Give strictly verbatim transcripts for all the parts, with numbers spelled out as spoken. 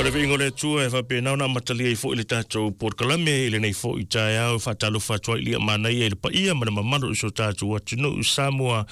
O le viiga o le Atua e faapena ona amatalia ai foi le tatou polokalame i lenei foi taeao. Faatalofa atu ai i le manaia i le paia ma le mamalu o si o tatou atunuu Samoa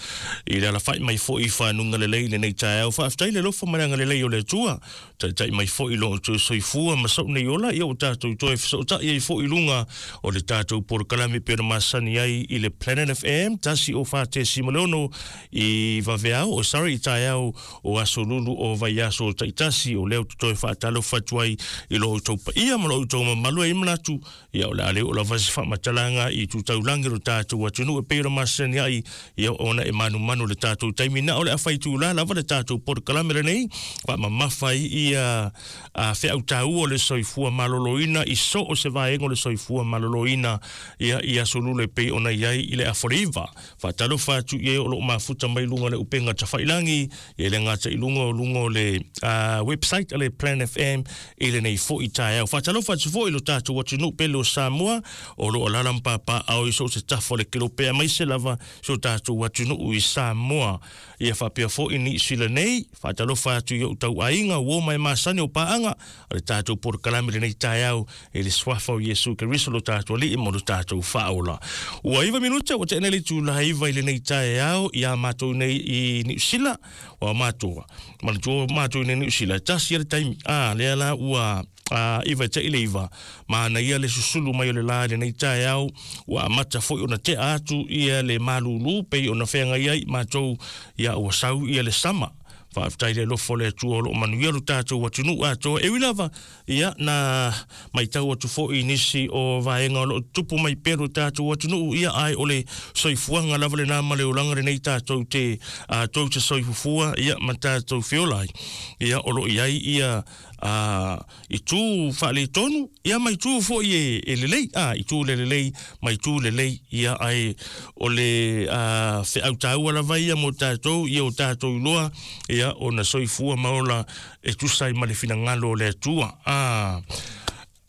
i le alafai mai foi i fanuga lelei i lenei taeao. Faafetai le alofa ma le agalelei o le Atua, taitai mai foi i lo outou soifua ma sou nei ola, ia ua tatou toe fesootai ai foi i luga o le tatou polokalame pei ona masani ai i le Planet F M tasi o fa tesima le ono i vaveao, o sorry, i taeao o aso lulu o vaiaso taitasi. O lea ou te toe faatalofa atu ai i lo outou paia ma lo outou mamalu e manatu, ia o le a le oo lava se faamatalaga i tutaulagi o le tatou atunuu e pei ona masani ai, ia ona e manumanu le tatou taimi. Na o le a faitula lava le tatou polokalame lenei, faamamafa ai ia a feau taua o le soifua maloloina i so o se vaega o le soifua maloloina, ia i aso lulu e pei ona i ai i le afoleiva. Faatalofa atu i e o loo mafuta mai luga o le upega tafailangi, ia le gata i luga o luga o le uh, website a le Planet F M i lenei foi taeao. Faatalofa atu foi i lo tatou atunuu pele o Samoa o loo alaala ma papaao i so o se tafa o le kelope, aemaise lava si o tatou atunuu i Samoa. Ia faapea foi Niu Sila nei. Faatalofa atu i ou tauaiga uo mai masani o paaga o le tatou polokalame lenei taeao i le suafa o Iesu Keriso lo tatou Alii ma lo tatou Faaola. Ua iva minute ua te'e nei le itula iva i lenei taeao ia matou nei i Niu Sila. Ua matou manatua matou nei Niu Sila tasi ia le taimi a lea la ua a iva te ile iva manaia le susulu mai o le la i lenei taeao. Ua amata foi ona tea atu ia le malulu pei ona feagai ai matou, ia ua sau ia le sama. Faafetai le alofa o le Atua o loo manuia lo tatou atunuu atoa. E ui lava ia na maitau atu foi i nisi o vaega o loo tupu mai pea lo tatou atunuu, ia ai o le soifuaga lava lena ma le olaga lenei tatou te a tou te soifufua ia ma tatou feola ai. Ia o loo i ai ia a itu faaletonu ia ma itu foi e, e lelei, a itu le lelei ma itu lelei, ia ai o le a feau taua lava ia mo tatou, ia o tatou iloa ia ona soifua ma ola e tusa ai ma le finagalo o le Atua. A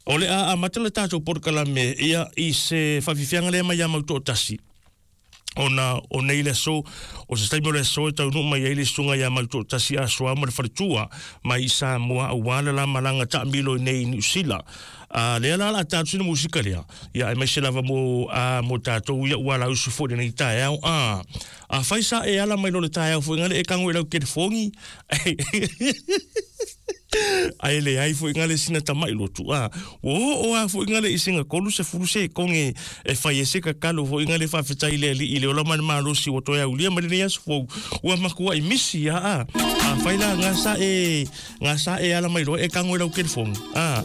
o le a amata le tatou polokalame ia i se faafiafiaga lea mai ia Mautoatasi, ona o nei le aso, o se taimi o le aso e taunuu mai ai le susuga ia Mautoatasi Asoa ma le faletua mai i Samoa aua le la malaga taamilo i nei i Niu Sila. A lea la la tatou sina musika lea, ia aemaise lava mo a mo tatou ia ua lausu foi lenei taeao. A a fai sa e ala mai lo le taeao foi ngale e kango i lau telefoni ai le ai foi ngale sina tamai lotu a o o a foi ngale i singa kolu se fulu se konge e fai e se kakalo foi ngale faafetai le alii i le ola ma le malosi ua toe aulia ma lenei aso fou ua makua i misi a a a fai la ngā sa e ngā sa e ala mai loa e kango i lau telefoni a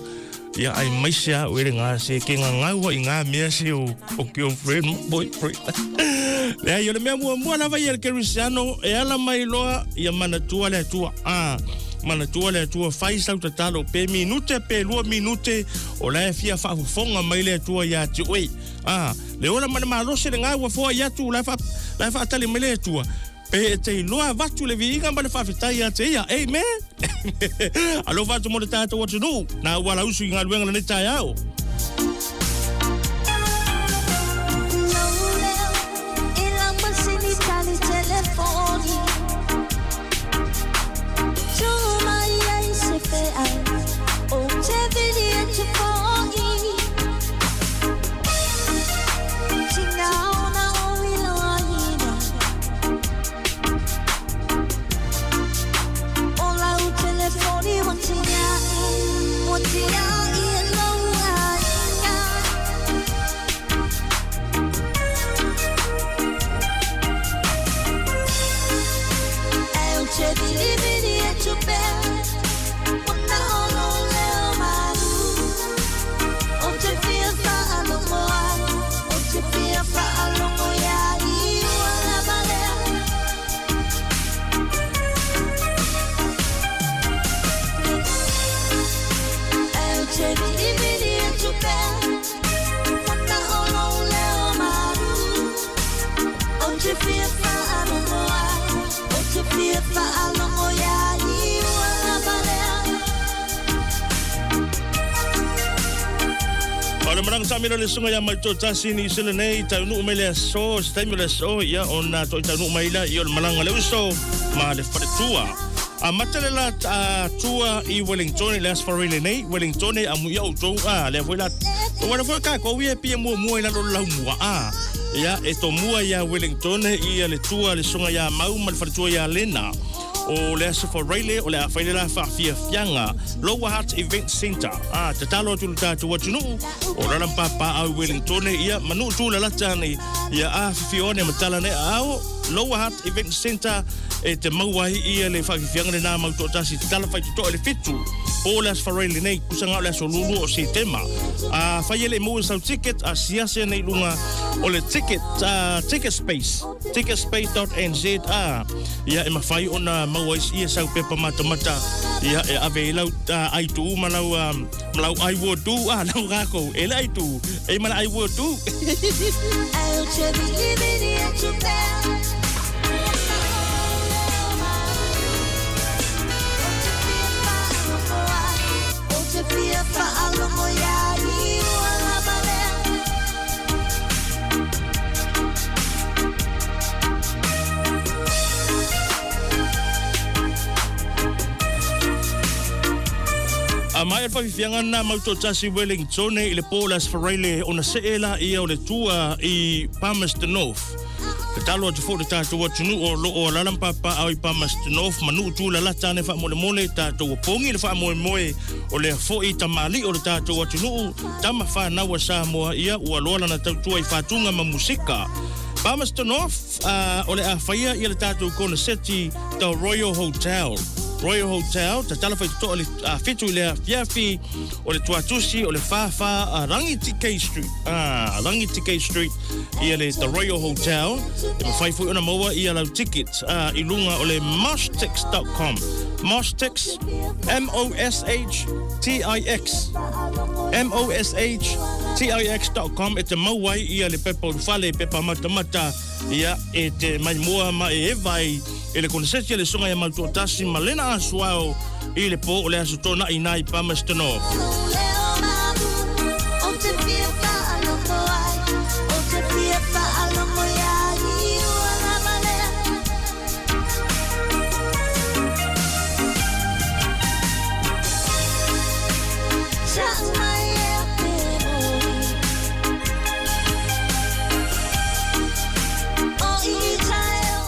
ia ai mai se a o ele ngā se ke ngā ngaua i ngā mea se o o girlfriend boyfriend. Lea i o le mea muamua lava ia le Kerisiano e ala mai loa ia manatua le Atua. A manatua le Atua, fai sau tatalo pe minute pe lua minute o la e fia faafofoga mai le Atua ia te oe. A le ola ma le malosi le ngā ua foa i atu la e fa la e faatali mai le Atua pe e te iloa avatu le viiga ma le faafetai ia te ia. Amen. Alofa atu mo le tatou atunuu na ua lausu i galuega lenei taeao. O le maranga sa mila le sunga ia mai tō tasi ni sila nei taunuu mai le aso, se taimi o le aso ia ona toi taunuu mai la i o le malanga le uso ma le faletua. A matale la tua i Wellington le aso faraile nei Wellington a muia o tou a le foi la o foi ka ko ia pia mua mua i lalo lau mua a ia e to mua ia Wellington ia le tua le songa ia mau ma le faletua ia Lena o le aso faraile o le a faile la faafiafiaga Lower Hutt Event Center a tatalo atu le tatou atunuu o lala papa au Wellington ia manu tu la lata nei ia a fifione matala nei ao Lower Hutt Event Center e te maua ai ia le faafiafiaga le nā mautoatasi tatala faitotoa le fitu o le aso faraile nei kusaga o le aso lulu o Setema a fai ele mo sau ticket a siase nei lunga o le ticket uh, ticket space ticketspace dot n z a ia e mawhai ona maua ia sau pepa matamata ia e ave i lau uh, ai tu ma lau um, ma lau ai wo tu a lau rako e le ai tu e mana ai wo tu. A mai alfa na mautoatasi Wellington i le po las faraile ona se'e ia o le tua i Palmerston North. Te talo atu fo le tātou atunuu o loo alalam papa au i Palmerston North manu tu la lata ane faamolemole tātou apongi le faamoemoe o le fo'i tamali o le tātou atunuu tama whānau a Samoa ia ua loa lana tautua i whātunga ma musika. Palmerston North uh, o le a whaia ia le tātou koneseti the Royal Hotel. Royal Hotel, tatala whai toto o le uh, fitu i lea fiafi, o le tuatusi, o le whawha, uh, Rangitikei Street. Ah, Rangitikei Street, ia le The Royal Hotel. E mawhai fui ona maua ia lau ticket uh, i lunga o le moshtix dot com. Moshtix, M O S H T I X. M O S H T I X dot com e te mauai ia le pepa urufale, pepa matamata, ia e te maimoa ma e evai, e le koneseti le songa ia mautoatasi ma lena asuao i le po o le aso tōna i nai Palmerston North.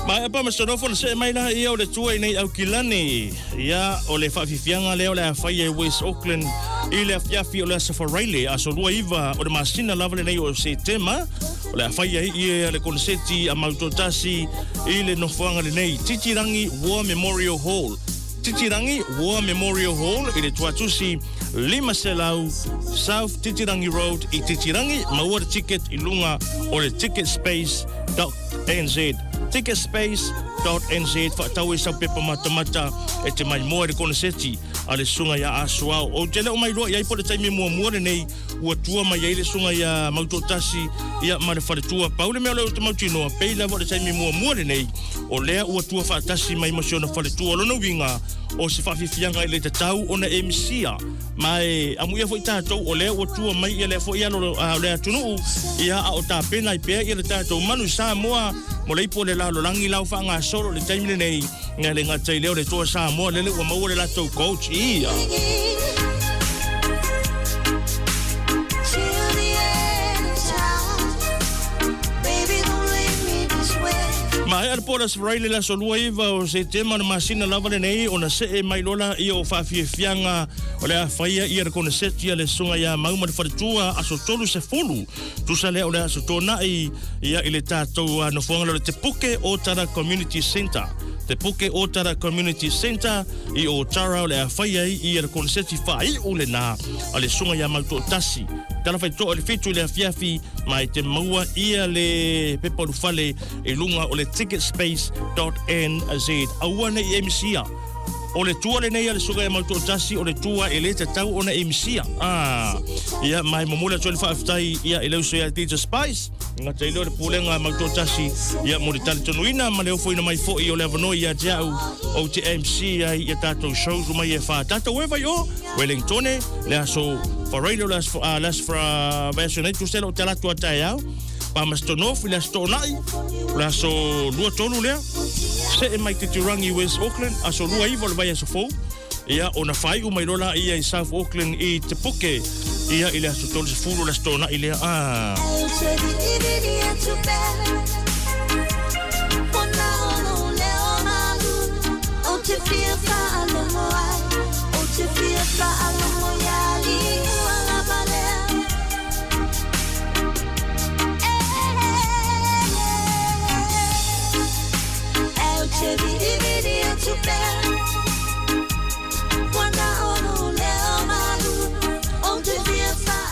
Mai apa masonofo se mai la ia o le tua i nei aukilani ia o le faafifiaga lea o le afai e West Auckland i le afiafi o le aso faraile aso lua iva o le masina lava lenei o Setema o le afai ai ia le koneseti a mautoatasi i le nofoaga lenei Titirangi War Memorial Hall. Titirangi War Memorial Hall i le tuatusi lima selau South Titirangi Road i Titirangi maua le ticket i lunga o le ticketspace dot n z ticketspace dot n z whaatau e sau pepa matamata e te mai moa le koneseti a le sunga ia asuao. O te leo mai loa iai po le taimi mua mua le nei ua tua mai ai le sunga ia mautoatasi ia ma le whaletua. Pau le mea leo te mautinoa pei lava le taimi mua mua le nei o lea ua tua whaatasi mai masiona whaletua lona winga o se whaafifianga i le tatau ona e misia. Mai amu ia foi tātou o lea ua tua mai ia lea foi alo o lea atunuu ia a o tāpena i pea ia le tātou manu Samoa mo leipo le lalo langi lau whaanga solo le taimi le nei ngā le ngatai leo le toa Samoa lele ua maua le latou coach ia. Mai al pola sfraile la solua iva o se tema na masina lava le nei ona se e mai lola ia o faafiafiaga o le afaia ia le koneseti a le suga ia mau ma le faletua aso tolu se fulu tusa lea o le aso tōna'i ia i le tātou nofoaga le Te Puke Ōtara Community Centre. Te Puke Ōtara Community Centre i Ōtara o le afaia ia le koneseti faai'u lenā a le suga ia mautoatasi tala faitoa le fitu i le afiafi mai te maua ia le pepa ulufale i lunga o le ticketspace dot n z aua nei e misia o le tua le nei a le suga e mautoatasi o le tua e le tatau ona e misia. Ah, ia mai momoli atu le faafetai ia e leuso ia D J Spice ngata i leo le pulega mautoatasi ia mo le talitonuina ma le ofoina mai fo'i o le avanoa ia te au o te M C ai ia tātou shows mai e wha tātou e vai o Wellingtone le aso faraile o le aso le aso fra vaeaso nei tusela o te alatu a tae au Palmerston North i le aso tōna'i o le aso lua tolu lea See mai te Turangi West Auckland, aso lua iwa o le vai aso fou. Ia, ona whaiu mai lola ia i South Auckland i Te Puke. Ia, i le aso tolu sefulu le aso tōna i lea. Ah.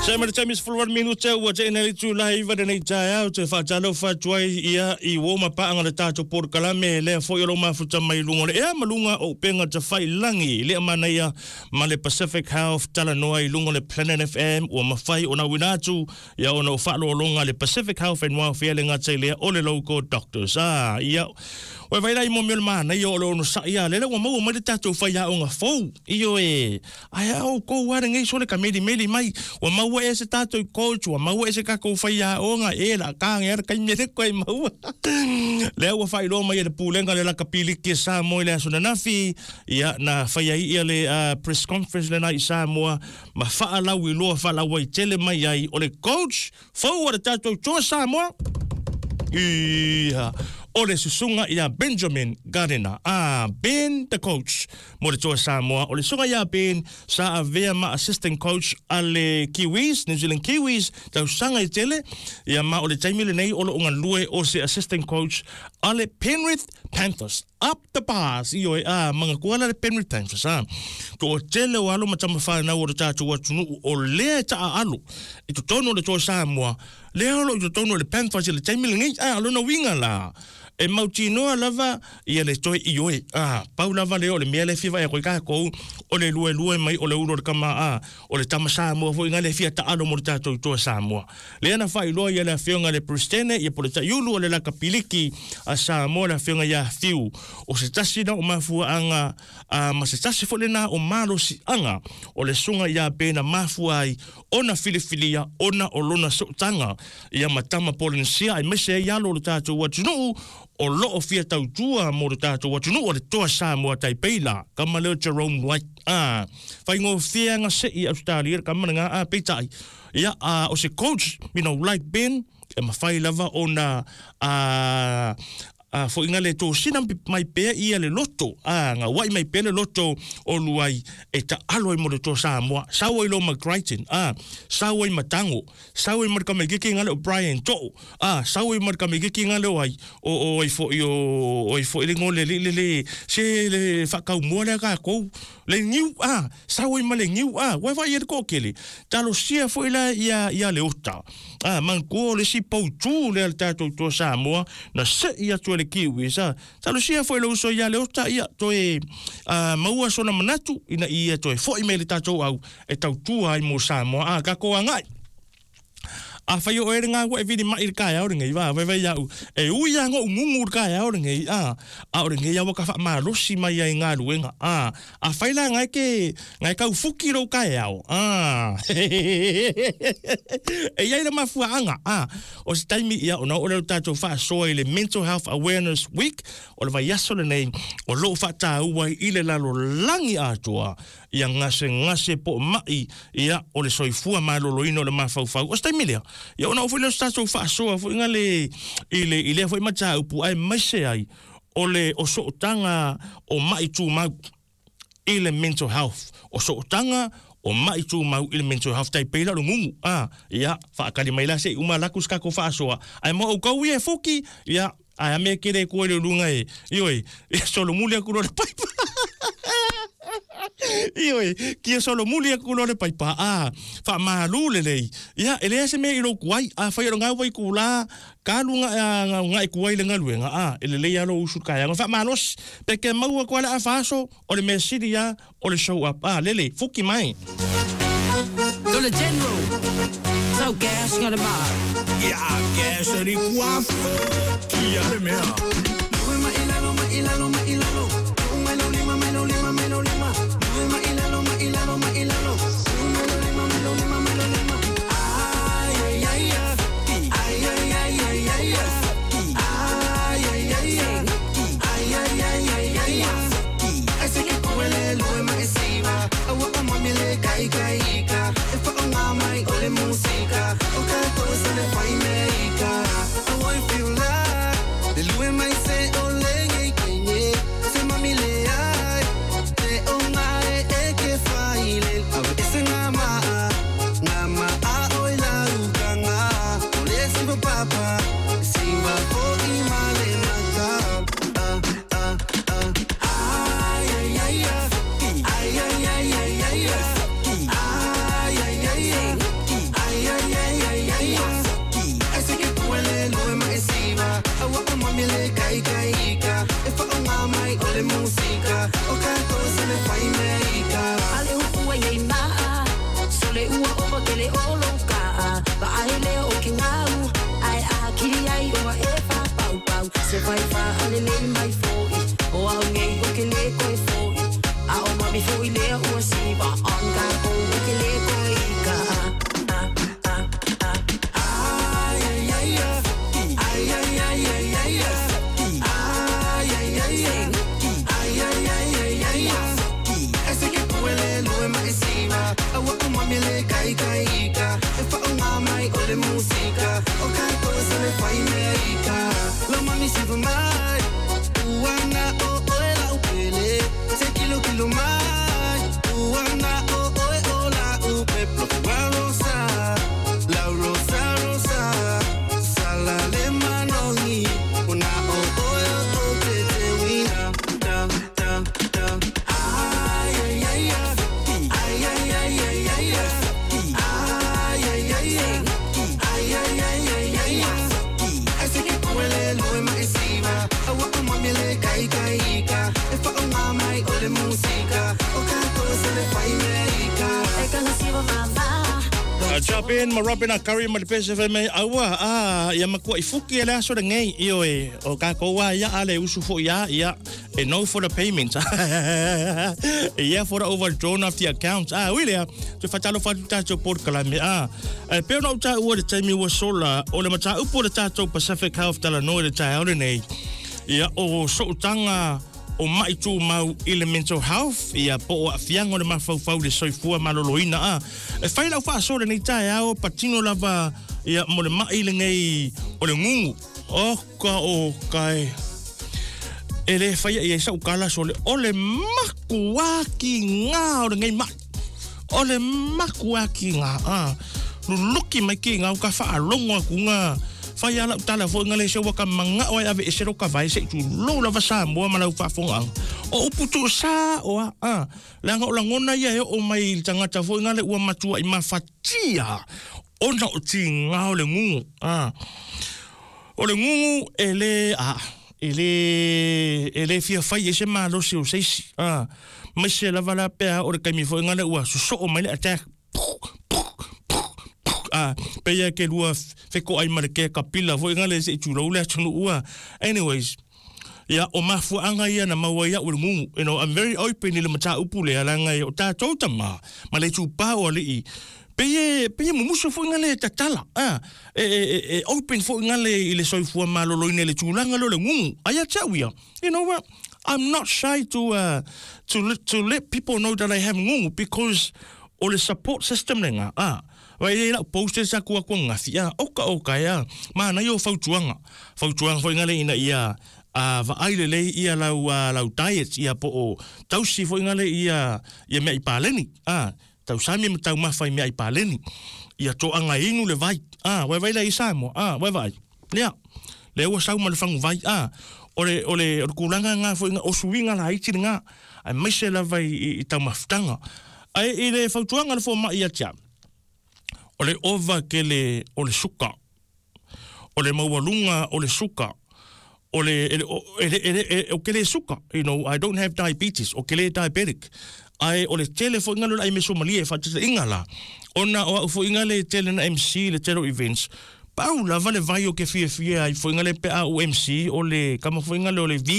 Se ma le taimi sefulu valu minute ua teʻina le itulai iva lenei taeao te faatalofa atu ai ia i uō mapaaga le tatou polokalame lea foʻi o lou mafuta mai luga o le ea ma luga o upega tafaiilagi i lea manaia ma le Pacific Health talanoa i luga o le Planet F M ua mafai ona uina atu ia ona o faalologa le Pacific Health and Welfare le gata i lea o le local doctors. Ah, ia ua vailai mo mea o le manaia o le onosaʻi a lele ua maua mai le tatou faiaoga fou io e ae au kou a lenei so le kamelimeli mai ua maua e se tātou coach, ua maua e se kākou whaiaonga, e la kānge ara kai mere koe maua. Lea ua whailoa mai e le pūlenga le laka piliki e Samoa i le aso nanafi, ia na whaiai ia le uh, press conference le nai Samoa, ma whaalau i loa whaalaua i tele mai ai o le coach, fau a le tātou toa Samoa. Ia, o le susunga ia Benjamin Gardiner. Ah, Ben the coach. Mo le toa Samoa. O le susunga ia Ben sa avea ma assistant coach a le Kiwis, New Zealand Kiwis, tau sanga i tele. Ia ma o le taimi lenei o lo onga lue o se assistant coach a le Penrith Panthers. Up the bars. Io e ah, manga kuala le Penrith Panthers. Ah. To o tele o alo matama whanau o le tātou atunu o lea e taa alo. I totonu o le toa Samoa. Lea alo i totonu o le Panthers i le taimi lenei. Ah, alona winga la. E mautinoa lava ia le toe i oe. Ah, pau lava leo le mea le fiva e koe kākou o le lue lue mai o le ulo le kama a o le tama Samoa foi ngā le fia taalo mo le tātou toa Samoa. Le ana whailoa ia le afioga le Pristene ia po le taiulu o le laka piliki a Samoa le afioga ia Fiu. O se tasi na o mafua anga a, ma se tasi fo le na o malosi anga o le sunga ia pena mafua ai ona filifilia ona o lona sootanga ia matama Polynesia ai mese ai alo le tātou atunuu o loo fia tautua mo le tātou atunuu o le toa Samoa Taipeila kama leo Jerome White. Ah, whaingo whianga se i Australia kama ngā a peitai. Ia, uh, o se coach, you know, like Ben, e mawhai lava o na uh, uh, fo inga le tō sina mai pea ia le loto. Ah, ngā wai mai pea le loto o luai e ta alo i mo le tō Samoa. Sawa i lo McCrichton. Ah, sawa i Matango. Sawa i Markamegiki ngā leo Brian To'o. Ah, sawa i Markamegiki ngā leo ai. O o i fo i o o i fo i le ngole le le le se le whakau mua lea kākou. Le niu, ah, sawa i ma le niu, ah, wai wai e le kōkele. Talo sia fo i la ia, ia le ota. Ah, mankuo le si pautū le al tātou tō Samoa, na se i atu e le Kiwis, ah. Talo sia fo i le uso ia le ota, ia, toe, ah, maua sona manatu, ina ia toe fo i me le tātou au, e tautua ai mō Samoa, ah, kako angai. A whai o ere ngā wa e vini mai le kāia o ngei wā, wai wai au. E ui a ngō ngungu le kāia o ngei, a. A o ngei au ka wha malosi mai ai ngā luenga, a. A whai la ngai ke, ngai kau fuki rau kāia o, a. E iai la mafua anga, a. O se taimi ia o na o leo tātou whaasoa i le Mental Health Awareness Week, o le vai aso le nei, o loo whaatāua i le lalo langi atoa, ia ngase ngase po mai, ia o le soifua maloloino o le mafaufau. O se taimi lea, ia ona o foi le tātou whaasoa foi ngā le, i le, i lea foi mataupu ai maise ai o le o sootanga o mai tūmau i le mental health. O sootanga o mai tūmau i le mental health tai peila lo ngungu. Ah, ia, whaakali mai la se uma laku skako whaasoa. Ai mo au kau ia e fuki, ia, ai a mea kere koe le lunga e. Ioi, ia solo muli aku lo le paipa. Ioi, kia solo muli aku lo le paipa. Ah, wha malu le lei. Ia, ele ese mea i lo kuai. Ah, whai ro ngā wai kula, kalu ngā ngā i kuai le ngaluenga. Ah, ele lei alo usu kaya. Ngā wha malos, peke maua koa le a whaso, o le mea siri ia, o le show up. Ah, lele, fuki mai. To le general, so gas ngā le maa. Ia, gas ni kua fuki a le mea. Ma ilalo, ma ilalo, ma ilalo. Ma lo lima, ma lo lima, ma lo lima. Ma ilalo, ma ilalo, ma ilalo. Ma lo lima, ma lo lima, ma lo lima. Ay, ay, ay, ay, ay, ay, ay, ay, ay, ay, ay, ay, ay, ay, ika E whaonga mai o le musika O kato se le whai me ika Ale upu ai ei maa Sole ua ova kele olo kaa Va ai leo o ke ngau Ai a kiri ai oa e wha pau pau Se whai wha ale lei mai foi O au ngei o ke le koe foi A o mami foi lea ua siwa On ka kou o ke le koe ika Ai ai ai ai ai ai ai ai ai ai ai ai ai ai ai ai Ese ke puele lue mai siwa Aua o mami le kai kai ika E whaonga mai o le musika O kato se le whai me ika Lo mami siwa mai Uana o oe la upele Te kilo kilo mai Uana o oe o la upe Plofua rosa La rosa rosa Sala le manongi Una o oe o te te wina Da da da Ai ai ai ai ai ai ai ai ai ai ai ai ai ai ai ai Ese ke puele lue mai siwa Aua o mami le kai kai ika E whaonga mai o le musika O kato se le whai me ika E kanga siwa vava Chapin ma Robin a Curry ma le P S F M aua a ia makua i fuki ele aso le ngei io e o ka koa ia ale usu fo ia ia e no for the payment ia for the overdrawn of the account ah wile te fatalo fatu tato por kalame ah e pe no ta ua le taimi ua sola o le mata upo le tato Pacific Health tala no le ta ole nei ia o soutanga o mai tu mau i le mental health ia po o afianga o le mafaufau le soifua maloloina a e fai lau faasoa lenei taeao patino lava ia mo le mai lenei o le gugu o ka o kai e le faia ia sau kala so le o le makuaki ngā o lenei mai o le makuaki ngā a luluki mai ki ngā o ka faalogo aku ngā Whai ala utala fo ngale se waka manga o ave ese roka vai se tu lo lava sa mo ma lau faafogaga o upu tu sa o a a langa o langona ia e o mai tangata fo ngale ua matua i mafatia ona o tinga o le gugu a o le gugu e le a e le e le fia fai e se malosi o seisi a mai se lava la pea o le kaimi fo ngale ua sosoo mai le attack ah peia ke lua feko ai mare ke kapila fo ngale se tu lo le tunu ua anyways ia o mafuanga ia na maua ia o le gugu you know I'm very open i le mata upu le alanga o tatou tama ma le tupa o alii peie peie mumusu fo ngale tatala ah e e e open fo ngale i le soifua maloloina le tulaga lo le gugu ai tau ia you know what I'm not shy to uh, to to let people know that I have gugu because o le support system lenga ah Vai le lau posters aku aku ngafi a oka oka ya mana yo fautuanga fautuanga foi ngale ina ia a vaai le lei ia lau lau diet ia po o tausi foi ngale ia ia mea i paleni a tausami ma tau mafai mea i paleni ia toanga inu le vai a vai vai le i Samoa a vai vai lea le ua sau ma le fangu vai a o le o le o le kulanga ngā foi ngā o suiga la iti ngā ai maise lava i, i taumafutaga ai i le fautuaga le fomaʻi ia te au o le ova ke le o le suka o le maualuga o le suka o le ele ele ele o ke le suka you know I don't have diabetes o ke le diabetic ai o le tele foʻiga le ai mesomalia e faataitaiga la ona o a'u foʻiga le tele na M C le tele o events pau lava le vai o ke fiafia ai foʻiga le pe a u M C o le kama foʻiga le o le V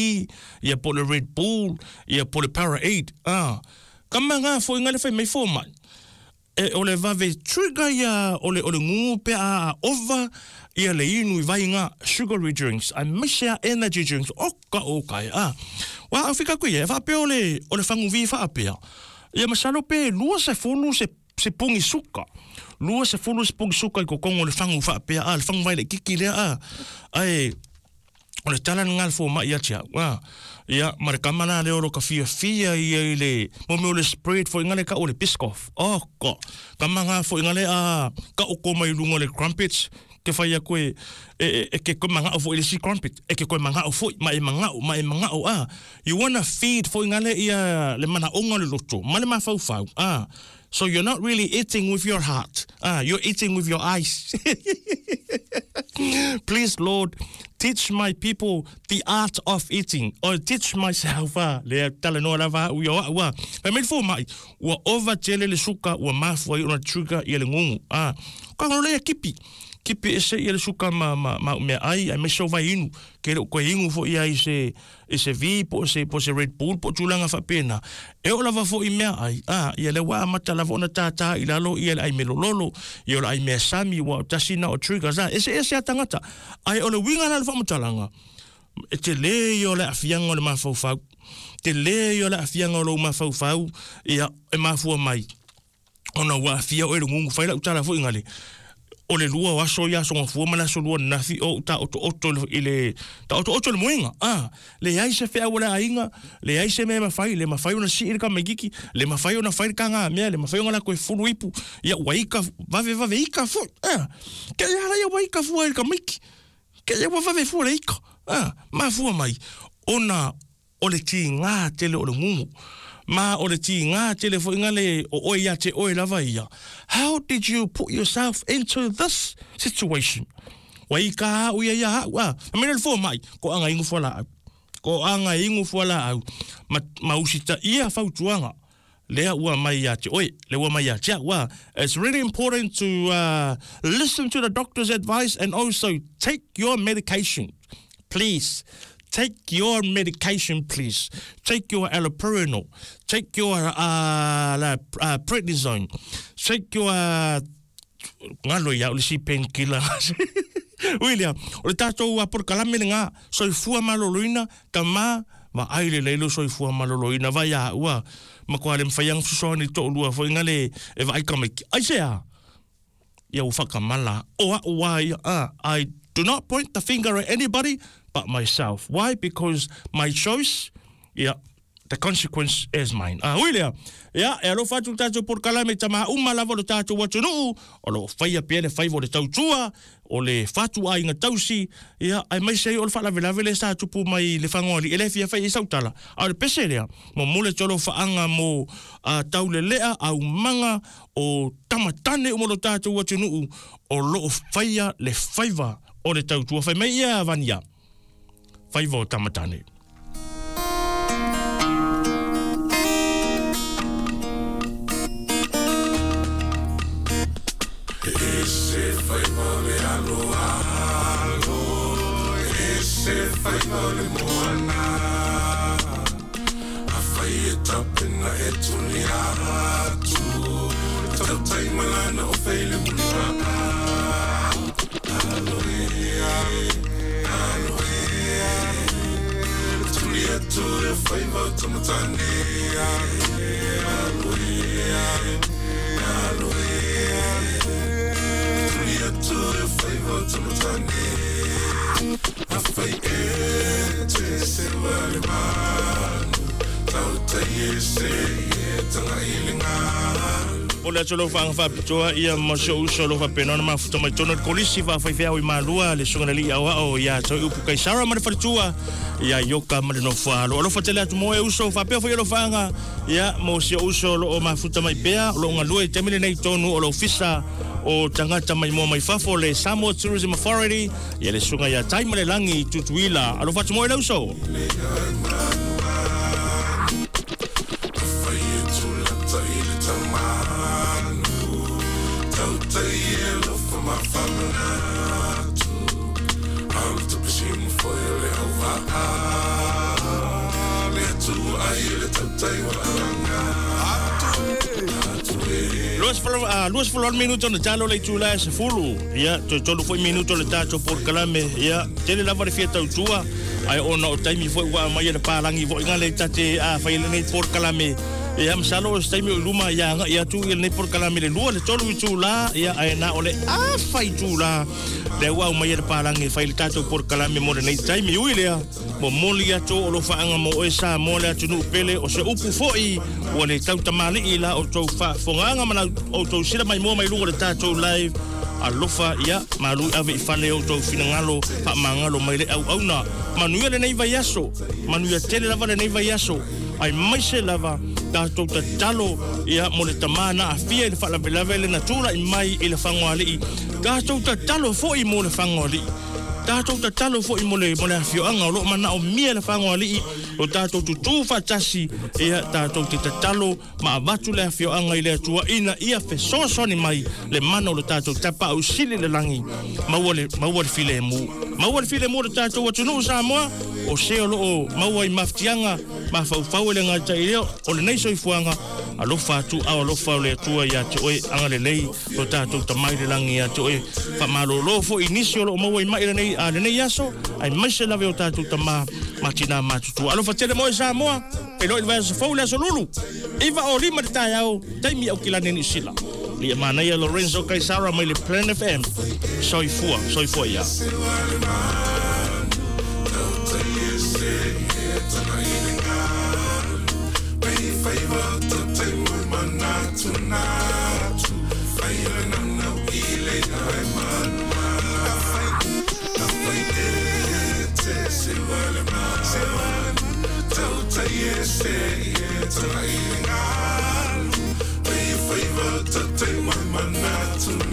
ia po le Red Bull ia po le Powerade ah kama ngā foʻiga le fai mai fomai e o le vave trigger ia o le o le gugu pe a ova ia le inu i vaiga sugary drinks ai maise a energy drinks o ka o kai a wa afika ku ia faapea o le o le faguvi faapea ia masalo pe lua se fulu se se pongi suka lua se fulu se pongi suka i kokogo o le fagu faapea a le fagu vai le kiki lea a ai o le tala nga le fomaʻi ia te au a ia ma le kama la lea o lo ka fiafia ia i le mo mea o le spread foʻiga le ka'u o le Biscoff oh ko kama nga foʻiga le a ka'u ko mai luga o le crumpets Ke whai a koe e, e, e ke koe mangao fo i le si crumpet. E ke koe mangao fo ma e mangao, ma e mangao. Ah. You wanna feed fo ngale ia le mana onga le loto. Ma le mawhau. Ah. So you're not really eating with your heart. Ah, you're eating with your eyes. Please, Lord, teach my people the art of eating. Or teach myself. Ah, le tala noa lava ua ua ua. Pa mele fo mai, ua ova tele le suka, ua mafua i ona trigger ia le ngungu. Ah, ka ngalo lea kipi. Kipi ese ia le suka ma, ma, ma mea ai, ai me so vai inu. Ke le koe ingu fo ia i se, i se V, po se, po se Red Bull, po tūlanga whapena. E o lava fo i mea ai, ah, ia le wā mata lava ona tātā i lalo, ia le ai me lololo, ia le ai mea sami, wa o tasina o triggers, ah, ese ese a tangata. Ai o le winga la le whamatalanga. E te le i o le afianga o le mawhauwhau. Te le i o le afianga o le mawhauwhau, ia e mafua mai. Ona wā afia o e le ngungu, whaila utala fo ingale. O le lua o aso ia songa fua mana so lua nafi o ta oto oto i le ta oto oto le moenga ah le ai se fea wala ainga le ai se me mafai le mafai ona si ka megiki le mafai ona fai ka nga mea le mafai ona ko fulu ipu ia waika vave vave ika fu ah ke ia la ia waika fu ka miki ke ia vave fu le ika ah mafua mai ona o le ti nga tele o le ngungu ma o le ti ngā tele fo ingale o oi ia te oi lava ia. How did you put yourself into this situation? Wai ka au ia ia au. A mene le fo mai, ko anga ingu fua la au. Ko anga ingu fua la au. Ma, ma usita ia fautuanga. Lea ua mai ia te oi, le ua mai ia te au. It's really important to uh, listen to the doctor's advice and also take your medication. Please. Take your medication, please. Take your allopurinol. Take your uh, la, uh, prednisone. Take your... Ngalo ia, o le si painkiller. William, o le tātou a porkalame le ngā, soifua maloloina, ka mā, ma ai le leilo soifua maloloina, vai a ua, ma koa le mwhaiang susoani tō lua, fo ingale e vai kamiki. Ai se a? Ia u whakamala. O a ua ia, I do not point the finger at anybody but myself. Why? Because my choice, yeah, the consequence is mine. Ah, William, yeah, e alo fatu tātou por kalame tama uma lava lo tātou atunuu, o lo whaia pia le whaivo le tautua, o le fatu a inga tausi, yeah, ai mai sei o le whaalavelave le sa tupu mai le whangoali, e le fia whai i sautala. A le pese lea, mo mole tolo whaanga mo uh, taulelea, au manga, o tamatane o mo lo tātou atunuu, o lo whaia le whaiva o le tautua. Whai mai ia vania, whaiva o tamatane. Ese faiva le alo alo, ese faiva le moana, a fai e tapena e tuni atu, tautai malana o feile muna. Alo e, alo e, tuni atu e faiva o tamatane. Alo e, alo e, to the favor to matane. A fai e te se wale manu, tautai e se e tanga ilinga. O le atolo whaanga whapitoa ia masio uso lo whapenona mafuta mai tono kolisi wha whaiwhea i malua le sunga nali au ao ia tau upu kai Sarah ma le wharitua ia ioka ma le nofua alo. Alofa tele atu moe uso whapea whai alo whaanga ia mosio uso lo o mafuta mai pea lo ngalua i temile nei tonu o lo fisa o tangata mai mua mai fafo le Samoa Tourism Authority ia le sunga ia taima le langi tutuila. Alofa atu moe le uso. Luas folo minuto na talo le tula se fulu ia to tolu foi minuto le tato por kalame ia tele lava le fia tautua ai ona o taimi foi ua mai le palangi foi ngale tate a fai le nei por kalame Ia masalo o se taimi o i luma ia agaʻi atu ia lenei polokalame le lua le tolu itulā ia ae na o le afa itulā lea ua aumai e le palagi e fai le tatou polokalame mo lenei taimi ui lea momoli atu o lofaaga mo oe Samoa le atunuu pele o se upu foʻi ua le tautamaliʻi la outou faafofogaaga ma outou sila maimoa mai luga o le tatou live alofa ia malu ave i fale outou finagalo faamagalo mai le auauna manuia lenei vaiaso manuia tele lava lenei vaiaso ai maise lava tatou tatalo ia mo le tamā na aafia i le faalavelave le na tulaʻi mai i le fagoaliʻi tatou tatalo foʻi mo le fagoaliʻi tatou tatalo foʻi mo le mo le afioaga o loo manaomia le fagoaliʻi o tatou tutū faatasi ia tatou te tatalo ma avatu le afioaga i le Atua ina ia fesoasoani mai le mana o le tatou tapaʻausili le lagi maua le maua le filemu maua le filemu o le tatou atunuu Samoa o se o loo maua i mafatiaga mafaufau e le gataʻi lea o lenei soifuaga alofa atu ao alofa o le Atua iā te oe agalelei o tatou tamai le lagi iā te oe faamalōlō foʻi nisi o loo maua i maʻi lenei a lenei aso ae maise lava o tatou tamā ma tinā matutua alofa tele mo e Samoa feiloai le vaiaso fou le aso lulu iva o lima le taeao taimi Aukilani Niu Sila lia manaia Lorenzo Kaisara mai le Planet F M soifua soifua ia. Favor to take my manatu.